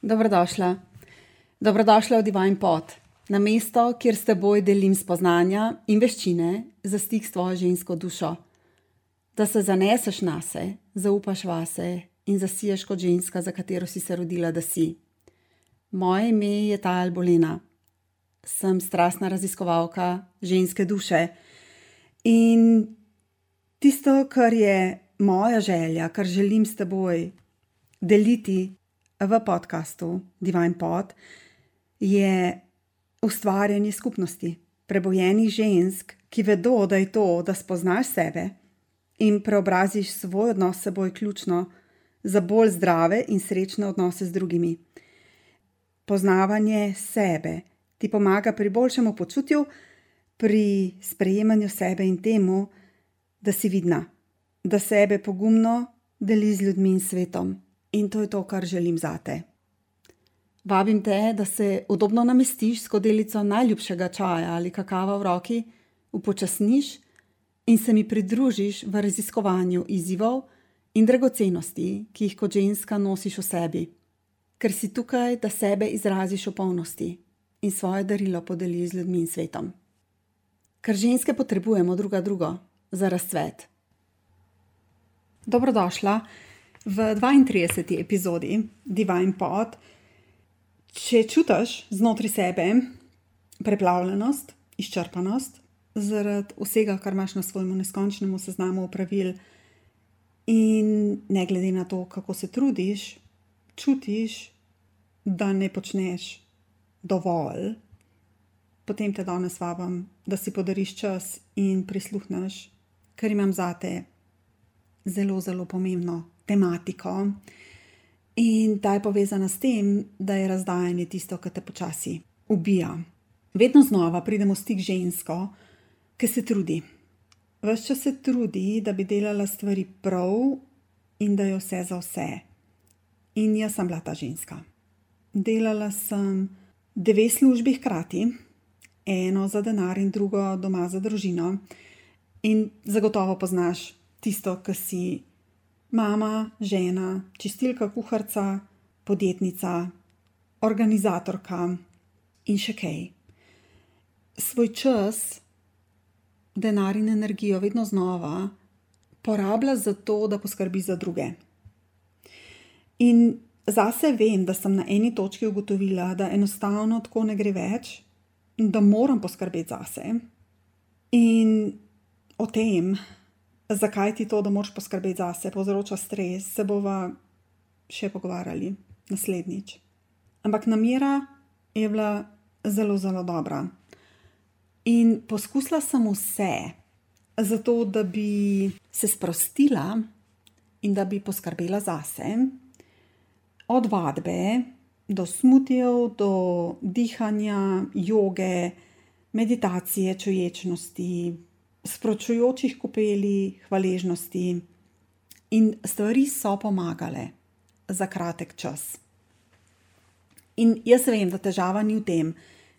Dobrodošla. Dobrodošla v Divine Pod, na mesto, kjer s teboj delim spoznanja in veščine za stik s tvojo žensko dušo. Da se zaneseš nase, zaupaš vase in zasiješ kot ženska, za katero si se rodila, da si. Moje ime je Tajal Bolena. Sem strastna raziskovalka ženske duše. In tisto, kar je moja želja, kar želim s teboj deliti v podcastu Divine Pod, je ustvarjanje skupnosti prebojenih žensk, ki vedo, da je to, da spoznaš sebe in preobraziš svoj odnos s seboj ključno za bolj zdrave in srečne odnose z drugimi. Poznavanje sebe ti pomaga pri boljšemu počutju, pri sprejemanju sebe in temu, da si vidna, da sebe pogumno deli z ljudmi in svetom. In to je to, kar želim zate. Vabim te, da se udobno namestiš s skodelico najljubšega čaja ali kakava v roki, upočasniš in se mi pridružiš v raziskovanju izzivov in dragocenosti, ki jih kot ženska nosiš v sebi. Ker si tukaj, da sebe izraziš v polnosti in svoje darilo podeliš z ljudmi in svetom. Ker ženske potrebujemo druga drugo za razcvet. Dobrodošla v 32. epizodi Divine Pod. Če čutiš znotraj sebe preplavljenost, izčrpanost zaradi vsega, kar imaš na svojemu neskončnemu seznamu opravil in ne glede na to, kako se trudiš, čutiš, da ne počneš dovolj, potem te danes vabim, da si podariš čas in prisluhneš, ker imam zate zelo, zelo pomembno tematiko. In ta je povezana s tem, da je razdajanje tisto, kar te počasi ubija. Vedno znova pridemo v stik z žensko, ki se trudi. Ves čas se trudi, da bi delala stvari prav in da je vse za vse. In jaz sem bila ta ženska. Delala sem 2 službi hkrati, eno za denar in drugo doma za družino. In zagotovo poznaš tisto, ki si mama, žena, čistilka, kuharica, podjetnica, organizatorka in še kaj. Svoj čas, denar in energijo vedno znova porablja za to, da poskrbi za druge. In zase vem, da sem na eni točki ugotovila, da enostavno tako ne gre več, da moram poskrbeti zase. In o tem, zakaj ti to, da moraš poskrbeti zase, povzroča stres, se bova še pogovarjali naslednjič. Ampak namera je bila zelo, zelo dobra. In poskusila sem vse, zato da bi se sprostila in da bi poskrbela zase. Od vadbe do smutijev, do dihanja, joge, meditacije, čuječnosti, sproščujočih kopeli, hvaležnosti. In stvari so pomagale za kratek čas. In jaz vem, da težava ni v tem,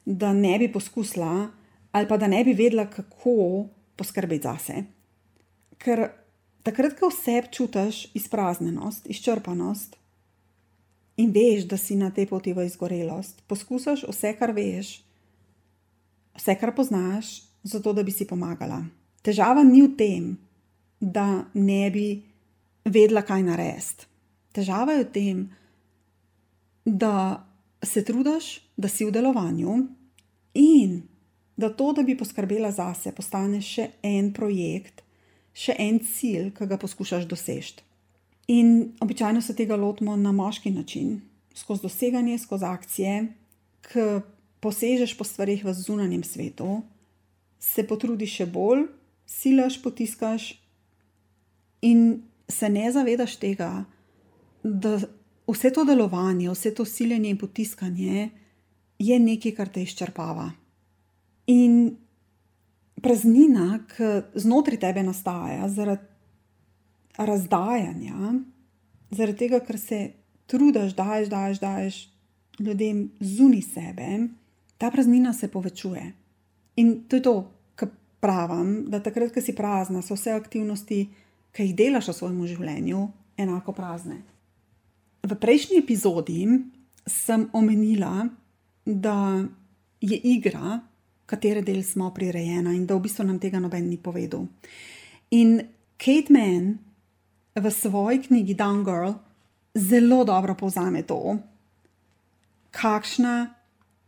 da ne bi poskusila ali pa da ne bi vedela, kako poskrbeti zase. Ker takrat, ko v sebi čutiš izpraznjenost, izčrpanost in veš, da si na tej poti v izgorelost, poskusiš vse, kar veš, vse, kar poznaš, zato da bi si pomagala. Težava ni v tem, da ne bi vedela, kaj narediti. Težava je v tem, da se trudiš, da si v delovanju in da to, da bi poskrbela zase, postane še en projekt, še en cilj, ki ga poskušaš doseči. In običajno se tega lotimo na moški način, skozi doseganje, skozi akcije, ki posežeš po stvarih v zunanjem svetu, se potrudiš še bolj, silaš, potiskaš in se ne zavedaš tega, da vse to delovanje, vse to siljenje in potiskanje je nekaj, kar te izčrpava. In praznina, ki znotraj tebe nastaja zaradi razdajanja, zaradi tega, ker se trudiš, daješ ljudem zunaj sebe, ta praznina se povečuje. In to je to, kar pravim, da takrat, ko si prazna, so vse aktivnosti, ki jih delaš v svojem življenju, enako prazne. V prejšnji epizodi sem omenila, da je igra, katere del smo prirejena in da v bistvu nam tega noben ni povedal. In Kate Manne v svoji knjigi Down Girl zelo dobro povzame to, kakšna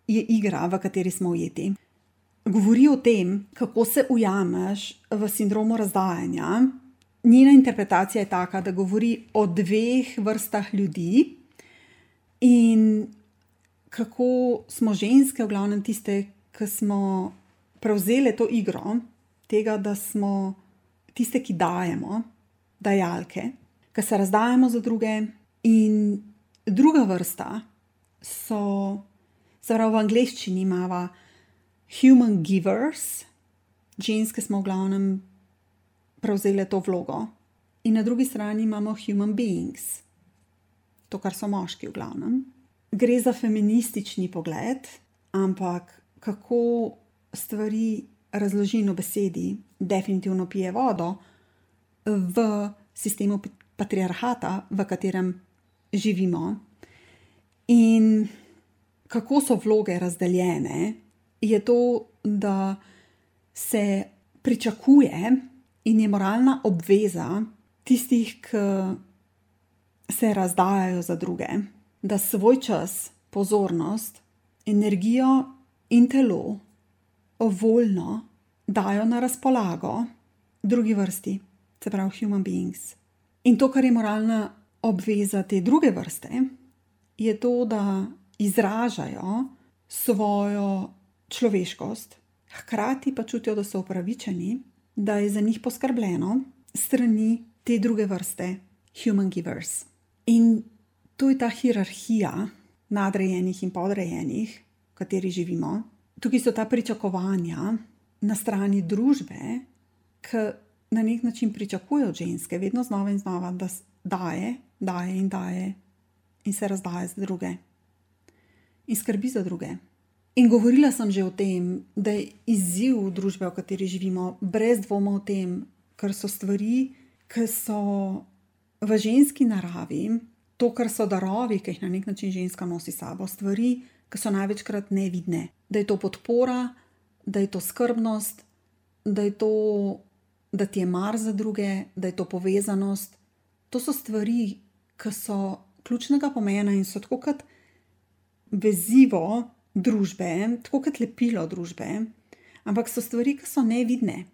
je igra, v kateri smo ujeti. Govori o tem, kako se ujameš v sindromu razdajanja. Njena interpretacija je taka, da govori o dveh vrstah ljudi in kako smo ženske, v glavnem tiste, ki smo prevzele to igro, tega, da smo tiste, ki dajemo, dajalke, ki se razdajamo za druge. In druga vrsta so, se pravi v angleščini imava human givers, ženske smo v glavnem prevzele to vlogo. In na drugi strani imamo human beings, to, kar so moški v glavnem. Gre za feministični pogled, ampak kako stvari razložim v besedi, definitivno pije vodo v sistemu patriarhata, v katerem živimo. In kako so vloge razdeljene, je to, da se pričakuje in je moralna obveza tistih, ki se razdajajo za druge, da svoj čas, pozornost, energijo in telo voljno dajo na razpolago drugi vrsti, se pravi human beings. In to, kar je moralna obveza te druge vrste, je to, da izražajo svojo človeškost, hkrati pa čutijo, da so upravičeni, da je za njih poskrbljeno strani te druge vrste, human givers. In to je ta hierarhija nadrejenih in podrejenih, v kateri živimo. Tukaj so ta pričakovanja na strani družbe, ki na nek način pričakujejo od ženske, vedno znova in znova, da daje in se razdaja za druge. In skrbi za druge. In govorila sem že o tem, da je izziv družbe, v kateri živimo, brez dvoma o tem, ker so stvari, ki so v ženski naravi, to, kar so darovi, ki jih na nek način ženska nosi sabo, stvari, ki so največkrat nevidne. Da je to podpora, da je to skrbnost, da je to, da ti je mar za druge, da je to povezanost. To so stvari, ki so ključnega pomena in so tako kot vezivo družbe, tako kot lepilo družbe, ampak so stvari, ki so nevidne.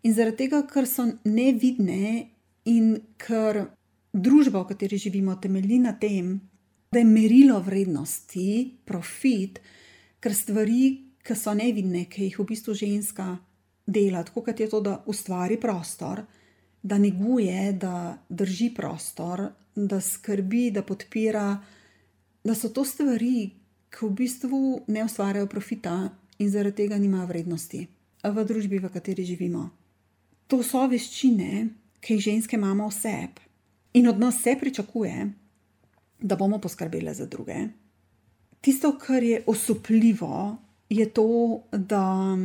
In zaradi tega, ker so nevidne in ker družba, v kateri živimo, temelji na tem, da je merilo vrednosti, profit, ker stvari, ki so nevidne, ki jih v bistvu ženska dela, tako kot je to, da ustvari prostor, da neguje, da drži prostor, da skrbi, da podpira, da so to stvari, ki v bistvu ne ustvarjajo profita in zaradi tega nimajo vrednosti v družbi, v kateri živimo. To so veščine, ki jih ženske imamo v sebi in od nas se pričakuje, da bomo poskrbele za druge. Tisto, kar je osupljivo, je to, da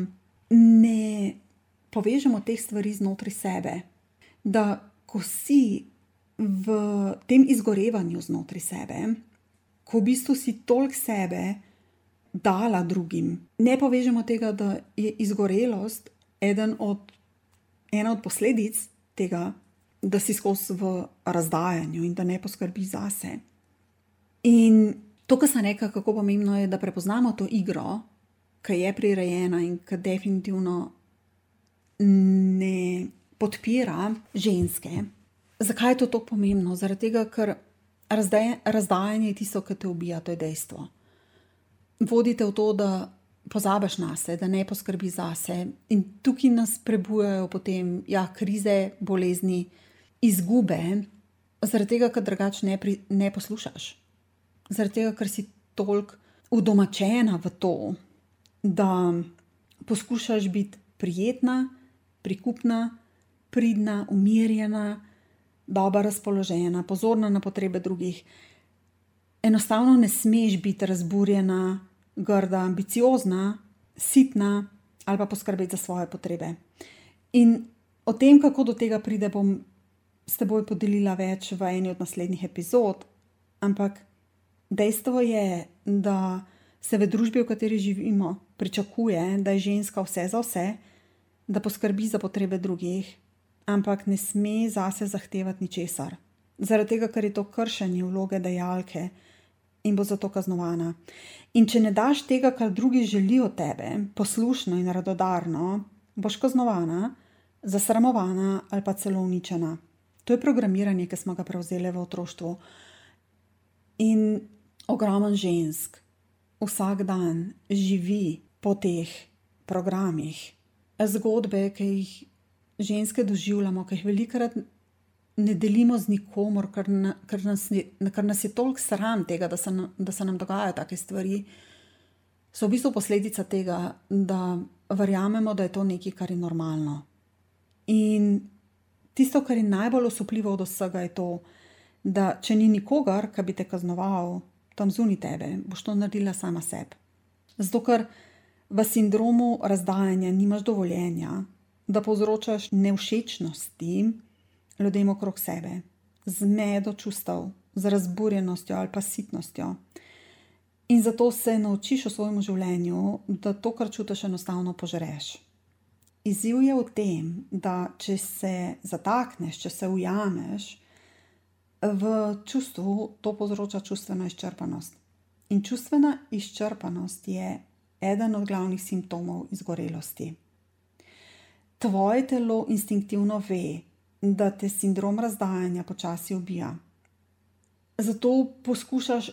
ne povežemo teh stvari znotraj sebe. Da ko si v tem izgorevanju znotraj sebe, ko v bistvu si toliko sebe dala drugim, ne povežemo tega, da je izgorelost ena od posledic tega, da si skozi v razdajanju in da ne poskrbi zase. In to, kar sem rekla, kako pomembno je, da prepoznamo to igro, ki je prirejena in ki definitivno ne podpira ženske. Zakaj je to tako pomembno? Zaradi tega, ker razdajanje je tisto, ki te ubija, to je dejstvo. Vodite v to, da pozabiš nase, da ne poskrbi zase. In tukaj nas prebujajo potem krize, bolezni, izgube, zaradi tega, ker drugače ne poslušaš. Zaradi tega, ker si toliko udomačena v to, da poskušaš biti prijetna, prikupna, pridna, umirjena, dobro razpoložena, pozorna na potrebe drugih. Enostavno ne smeš biti razburjena, grda, ambiciozna, sitna ali pa poskrbeti za svoje potrebe. In o tem, kako do tega pride, bom s teboj podelila več v eni od naslednjih epizod, ampak Dejstvo je, da se v družbi, v kateri živimo, pričakuje, da je ženska vse za vse, da poskrbi za potrebe drugih, ampak ne sme zase zahtevati ničesar. Zaradi tega, ker je to kršenje vloge dajalke in bo zato kaznovana. In če ne daš tega, kar drugi želijo od tebe, poslušno in radodarno, boš kaznovana, zasramovana ali pa celo uničena. To je programiranje, ki smo ga prevzeli v otroštvu. In ogromen žensk vsak dan živi po teh programih. Zgodbe, ki jih ženske doživljamo, ki jih velikokrat ne delimo z nikomor, ker nas je toliko sram tega, da se nam dogajajo take stvari, so v bistvu posledica tega, da verjamemo, da je to nekaj, kar je normalno. In tisto, kar je najbolj osupljivo od vsega, je to, da če ni nikogar, ki bi te kaznoval tam zunaj tebe, boš to naredila sama sebi. Zato, ker v sindromu razdajanja nimaš dovoljenja, da povzročaš nevšečnosti ljudem okrog sebe, z zmedo čustev, z razburjenostjo ali pa sitnostjo. In zato se naučiš v svojem življenju, da to, kar čutiš, enostavno požreš. Izziv je v tem, da če se zatakneš, če se ujameš v čustvu, to povzroča čustveno izčrpanost. In čustvena izčrpanost je eden od glavnih simptomov izgorelosti. Tvoje telo instinktivno ve, da te sindrom razdajanja počasi ubija. Zato poskušaš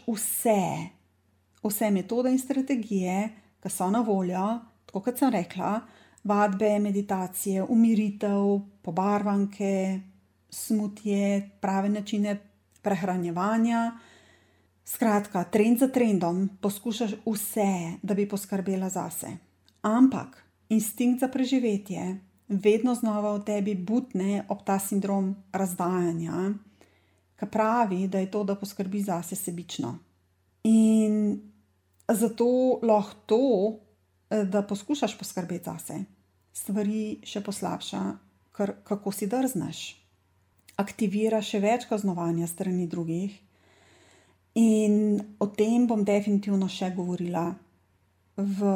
vse metode in strategije, ki so na voljo, tako kot sem rekla, vadbe, meditacije, umiritev, pobarvanke, smutje, prave načine prehranjevanja. Skratka, trend za trendom poskušaš vse, da bi poskrbela zase. Ampak instinkt za preživetje vedno znova v tebi butne ob ta sindrom razdajanja, ki pravi, da je to, da poskrbi zase, sebično. In zato lahko to, da poskušaš poskrbeti zase, stvari še poslabša, ker kako si drzneš. Aktivira še več kaznovanja strani drugih. In o tem bom definitivno še govorila v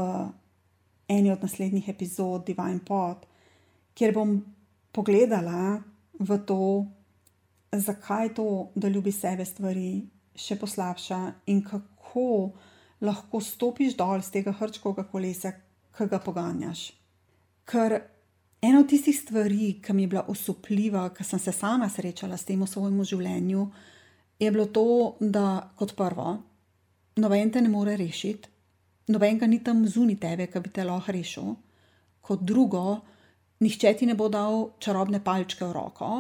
eni od naslednjih epizod Divine Pod, kjer bom pogledala v to, zakaj to, da ljubi sebe, stvari še poslabša in kako lahko stopiš dol z tega hrčkovega kolesa, ki ga poganjaš. Ker ena od tistih stvari, ki mi je bila osupljiva, ki sem se sama srečala s tem v svojem življenju, je bilo to, da kot prvo, noben te ne more rešiti, noben ga ni tam zunaj tebe, ki bi te lahko rešil. Kot drugo, nihče ti ne bo dal čarobne palčke v roko,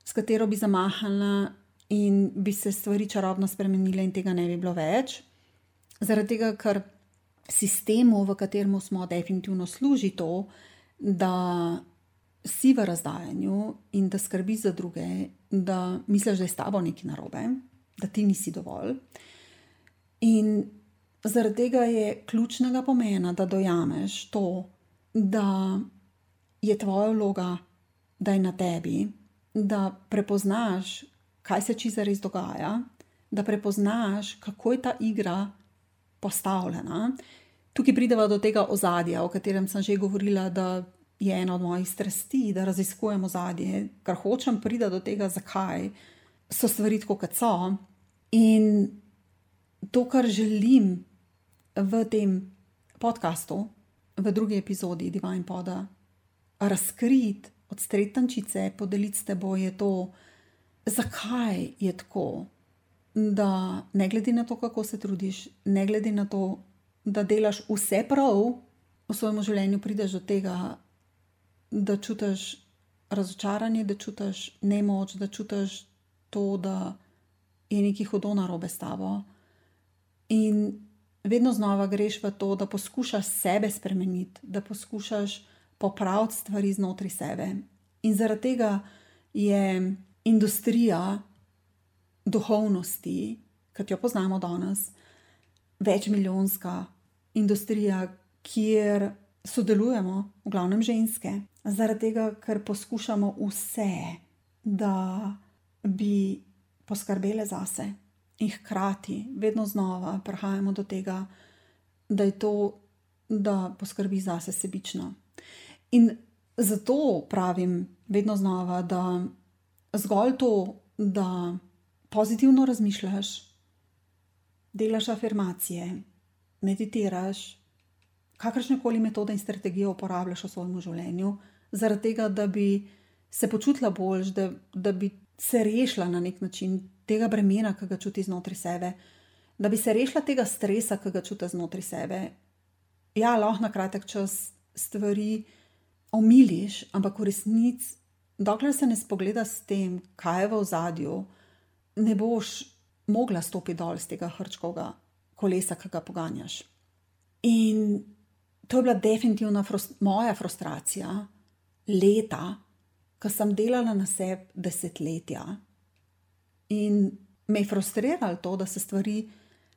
s katero bi zamahala in bi se stvari čarobno spremenile in tega ne bi bilo več. Zaradi tega, ker sistemu, v katerem smo, definitivno služi to, da si v razdajanju in da skrbiš za druge, da misliš, da je s tabo nekaj narobe, da ti nisi dovolj. In zaradi tega je ključnega pomena, da dojameš to, da je tvoja vloga, da je na tebi, da prepoznaš, kaj se čisto res dogaja, da prepoznaš, kako je ta igra postavljena. Tukaj prideva do tega ozadja, o katerem sem že govorila, da je ena od mojih strasti, da raziskujem ozadje, ker hočem priti do tega, zakaj so stvari tako, kot so. In to, kar želim v tem podcastu, v drugi epizodi Divine Poda, razkriti, odstreti tančice, podeliti s teboj, je to, zakaj je tako, da ne glede na to, kako se trudiš, ne glede na to, da delaš vse prav, v svojem življenju prideš do tega, da čutiš razočaranje, da čutiš nemoč, da čutiš to, da je nekaj hudo narobe s tabo. In vedno znova greš v to, da poskušaš sebe spremeniti, da poskušaš popraviti stvari znotraj sebe. In zaradi tega je industrija duhovnosti, kot jo poznamo danes, večmilijonska industrija, kjer sodelujemo, v glavnem ženske, zaradi tega, ker poskušamo vse, da bi poskrbele zase. In hkrati, vedno znova prihajamo do tega, da je to, da poskrbi zase sebično. In zato pravim vedno znova, da zgolj to, da pozitivno razmišljaš, delaš afirmacije, meditiraš, kakršnekoli metode in strategije uporabljaš v svojem življenju, zaradi tega, da bi se počutila boljš, da bi se rešila na nek način tega bremena, ki ga čuti znotraj sebe, da bi se rešila tega stresa, ki ga čuti znotraj sebe. Ja, lahko na kratek čas stvari omiliš, ampak v resnici, dokler se ne spogleda s tem, kaj je v ozadju, ne boš mogla stopiti dol z tega hrčkovega kolesa, ki ga poganjaš. In to je bila definitivna moja frustracija leta, ko sem delala na sebi desetletja. In me je frustriralo to, da se stvari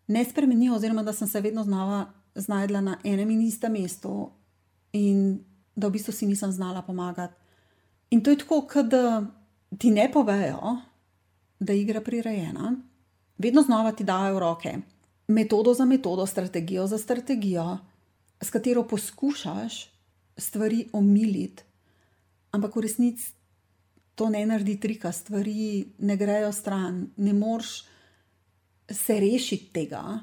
ne spremenijo, oziroma da sem se vedno znova znajdla na enem in istem mestu in da v bistvu si nisem znala pomagati. In to je tako, kot da ti ne povejo, da je igra prirejena, vedno znova ti dajo v roke metodo za metodo, strategijo za strategijo, s katero poskušaš stvari omiliti, ampak v resnici to ne naredi trika, stvari ne grejo stran, ne moreš se rešiti tega.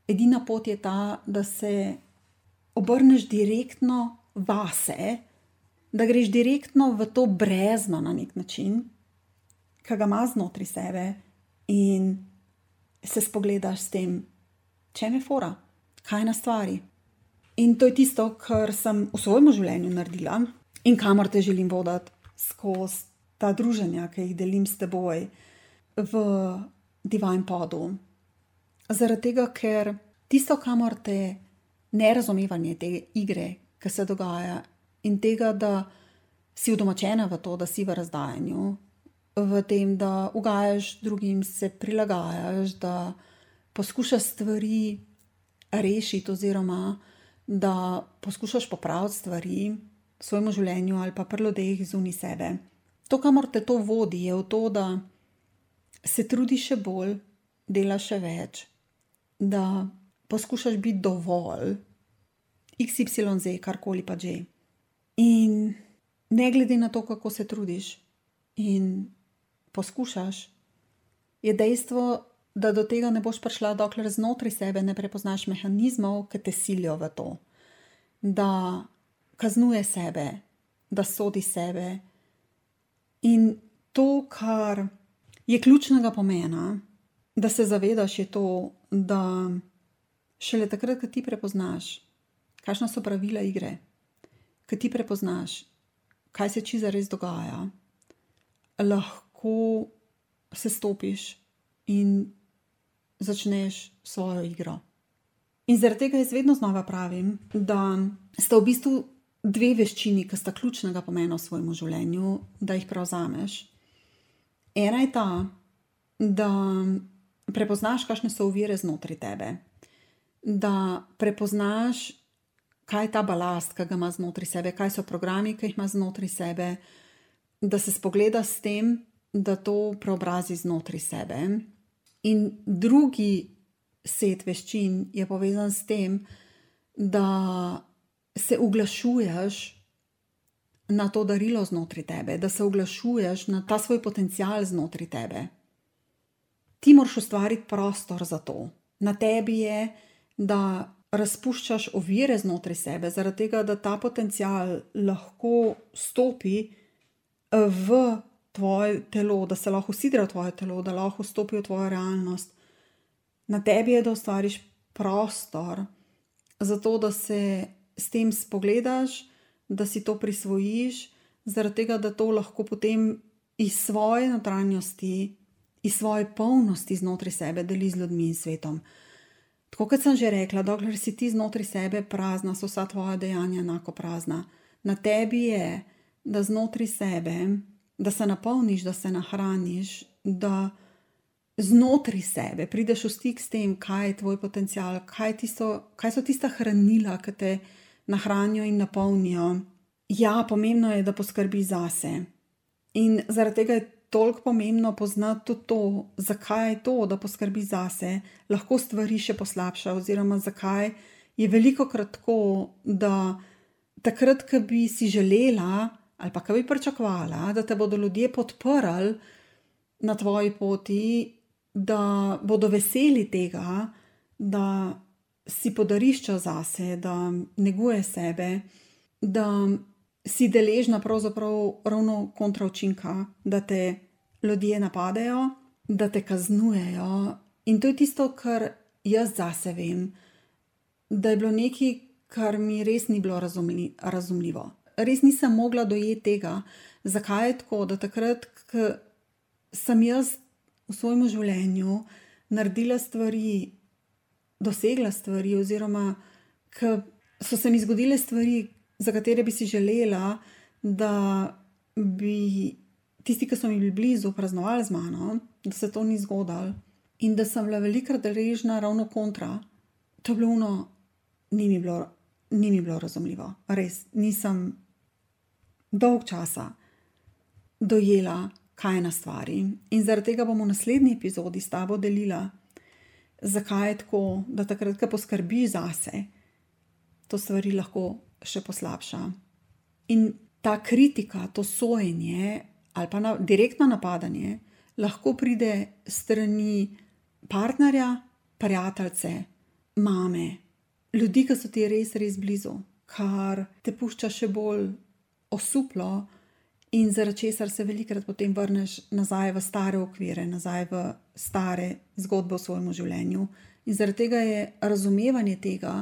Edina pot je ta, da se obrneš direktno vase, da greš direktno v to brezno na nek način, ki ga ima znotraj sebe, in se spogledaš s tem, čem je fora, kaj na stvari. In to je tisto, kar sem v svojem življenju naredila in kamor te želim voditi skozi ta druženja, ki jih delim s teboj v Divine Podu. Zaradi tega, ker tisto, kamor te nerazumevanje te igre, ki se dogaja, in tega, da si udomačena v to, da si v razdajanju, v tem, da ugajaš drugim, se prilagajaš, da poskušaš stvari rešiti oziroma da poskušaš popraviti stvari v svojem življenju ali pa pri ljudeh zunaj sebe. To, kamor te to vodi, je v to, da se trudiš še bolj, delaš še več, da poskušaš biti dovolj, XYZ, karkoli pa že. In ne glede na to, kako se trudiš in poskušaš, je dejstvo, da do tega ne boš prišla, dokler znotraj sebe ne prepoznaš mehanizmov, ki te silijo v to, da kaznuje sebe, da sodi sebe. In to, kar je ključnega pomena, da se zavedaš, je to, da šele takrat, ko ti prepoznaš, kakšna so pravila igre, ko ti prepoznaš, kaj se čisto res dogaja, lahko se stopiš in začneš svojo igro. In zaradi tega jaz vedno znova pravim, da sta v bistvu dve veščini, ki sta ključnega pomena v svojem življenju, da jih prevzameš. Ena je ta, da prepoznaš, kakšne so ovire znotraj tebe, da prepoznaš, kaj je ta balast, ki ga ima znotraj sebe, kaj so programi, ki jih ima znotraj sebe, da se spogleda s tem, da to preobrazi znotraj sebe. In drugi set veščin je povezan s tem, da se uglašuješ na to darilo znotraj tebe, da se uglašuješ na ta svoj potencial znotraj tebe. Ti moraš ustvariti prostor za to. Na tebi je, da razpuščaš ovire znotraj sebe, zaradi tega, da ta potencial lahko stopi v tvoje telo, da se lahko usidra v tvoje telo, da lahko vstopi v tvojo realnost. Na tebi je, da ustvariš prostor za to, da se s tem spogledaš, da si to prisvojiš, zaradi tega, da to lahko potem iz svoje notranjosti, iz svoje polnosti znotraj sebe deli z ljudmi in svetom. Tako kot sem že rekla, dokler si ti znotraj sebe prazna, so vsa tvoja dejanja enako prazna. Na tebi je, da znotraj sebe, da se napolniš, da se nahraniš, da znotraj sebe prideš v stik s tem, kaj je tvoj potencial, kaj so tista hranila, ki te nahranijo in napolnijo. Ja, pomembno je, da poskrbi zase. In zaradi tega je toliko pomembno poznati tudi to, zakaj je to, da poskrbi zase, lahko stvari še poslabša, oziroma zakaj je velikokrat tako, da takrat, ko bi si želela ali pa ko bi pričakovala, da te bodo ljudje podprli na tvoji poti, da bodo veseli tega, da si podariš čas zase, da neguješ sebe, da si deležna pravzaprav ravno kontra učinka, da te ljudje napadejo, da te kaznujejo. In to je tisto, kar jaz zase vem, da je bilo nekaj, kar mi res ni bilo razumljivo. Res nisem mogla dojeti tega, zakaj je tako, da takrat, ko sem jaz v svojem življenju naredila stvari, dosegla stvari, oziroma ko so se mi zgodile stvari, za katere bi si želela, da bi tisti, ki so mi bili blizu, praznovali z mano, da se to ni zgodilo in da sem bila velikokrat deležna ravno kontra. To je bilo ni mi bilo razumljivo. Res, nisem dolg časa dojela, kaj je na stvari. In zaradi tega bom v naslednji epizodi s tabo delila, zakaj je tako, da takrat, ko poskrbiš zase, to stvari lahko še poslabša. In ta kritika, to sojenje ali pa direktno napadanje lahko pride strani partnerja, prijateljice, mame, ljudi, ki so ti res, res blizu, kar te pušča še bolj osuplo in zaradi česar se velikokrat potem vrneš nazaj v stare okvire, nazaj v stare zgodbe v svojem življenju. In zaradi tega je razumevanje tega,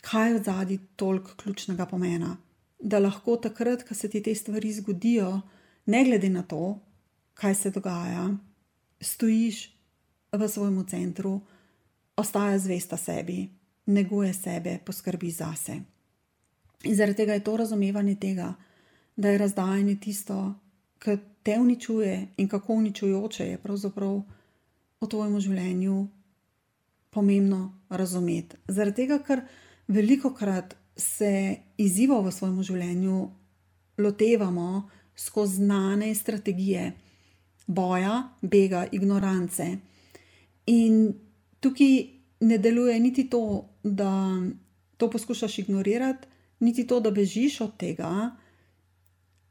kaj je odzadaj toliko ključnega pomena. Da lahko takrat, ko se ti te stvari zgodijo, ne glede na to, kaj se dogaja, stojiš v svojem centru, ostaja zvesta sebi, neguje sebe, poskrbi zase. In zaradi tega je to razumevanje tega, da je razdajanje tisto, kar te uničuje in kako uničujoče je pravzaprav v tvojem življenju pomembno razumeti. Zaradi tega, ker velikokrat se izzivov v svojem življenju lotevamo skozi znane strategije boja, bega, ignorance. In tukaj ne deluje niti to, da to poskušaš ignorirati, niti to, da bežiš od tega.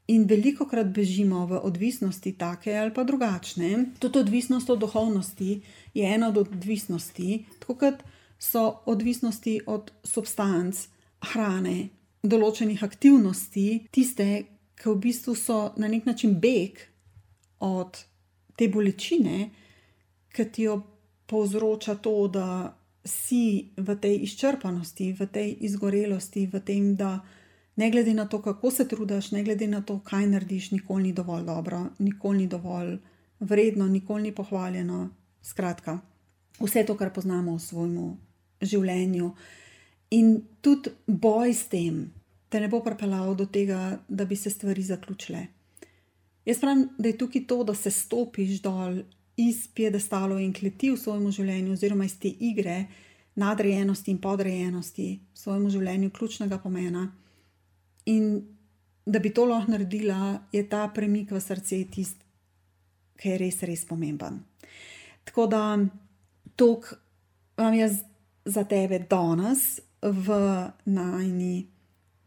In velikokrat bežimo v odvisnosti take ali pa drugačne. Tudi odvisnost od duhovnosti je ena od odvisnosti, tako kot so odvisnosti od substanc, hrane, določenih aktivnosti, tiste, ki v bistvu so na nek način beg od te bolečine, ki ti jo povzroča to, da si v tej izčrpanosti, v tej izgorelosti, v tem, da ne glede na to, kako se trudiš, ne glede na to, kaj narediš, nikoli ni dovolj dobro, nikoli ni dovolj vredno, nikoli ni pohvaljeno. Skratka, vse to, kar poznamo v svojem življenju. In tudi boj s tem te ne bo pripeljal do tega, da bi se stvari zaključile. Jaz pravim, da je tukaj to, da se stopiš dol iz piedestalov in kleti v svojem življenju, oziroma iz te igre nadrejenosti in podrejenosti v svojem življenju ključnega pomena. In da bi to lahko naredila, je ta premik v srce tist, ki je res, res pomemben. Tako da toliko vam jaz za tebe danes v najni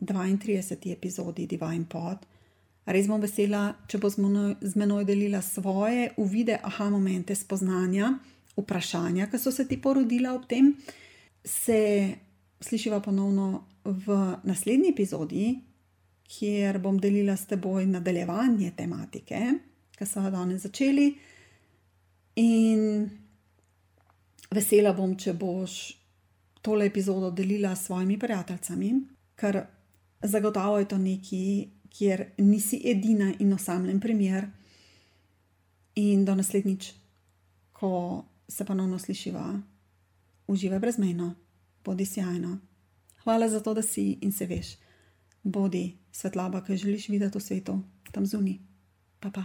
32. epizodi Divine Pod. Res bom vesela, če bo z menoj delila svoje uvide, momente, spoznanja, vprašanja, ki so se ti porodila ob tem. Se slišiva ponovno v naslednji epizodi, kjer bom delila s teboj nadaljevanje tematike, ki so jo danes začeli. In vesela bom, če boš tole epizodo delila s svojimi prijateljicami, ker zagotovo je to nekaj, kjer nisi edina in osamljen primer. In do naslednjič, ko se ponovno slišiva, uživaj brezmejno, bodi sjajno. Hvala za to, da si in se veš. Bodi svetloba, ki želiš videti v svetu, tam zunaj. Pa.